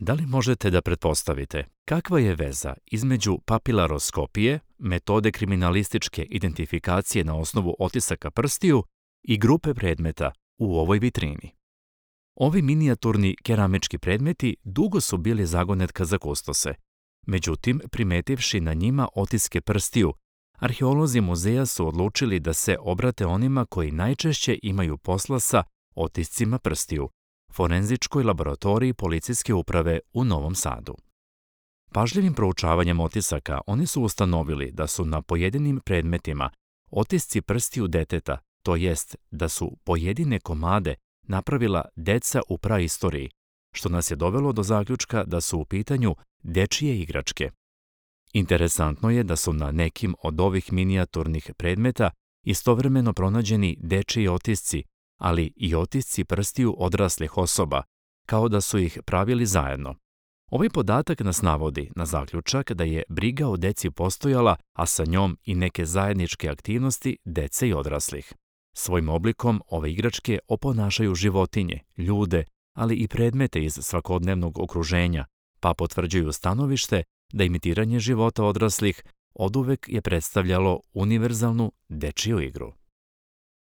Da li možete da pretpostavite kakva je veza između papilaroskopije, metode kriminalističke identifikacije na osnovu otisaka prstiju i grupe predmeta u ovoj vitrini? Ovi minijaturni keramički predmeti dugo su bili zagonetka za kustose. Međutim, primetivši na njima otiske prstiju, arheolozi muzeja su odlučili da se obrate onima koji najčešće imaju posla sa otiscima prstiju, forenzičkoj laboratoriji policijske uprave u Novom Sadu. Pažljivim proučavanjem otisaka oni su ustanovili da su na pojedinim predmetima otisci prstiju deteta, to jest da su pojedine komade napravila deca u praistoriji, što nas je dovelo do zaključka da su u pitanju dečije igračke. Interesantno je da su na nekim od ovih minijaturnih predmeta istovremeno pronađeni dečiji otisci, ali i otisci prstiju odraslih osoba, kao da su ih pravili zajedno. Ovaj podatak nas navodi na zaključak da je briga o deci postojala, a sa njom i neke zajedničke aktivnosti dece i odraslih. Svojim oblikom ove igračke oponašaju životinje, ljude, ali i predmete iz svakodnevnog okruženja, pa potvrđuju stanovište da imitiranje života odraslih oduvek je predstavljalo univerzalnu dečiju igru.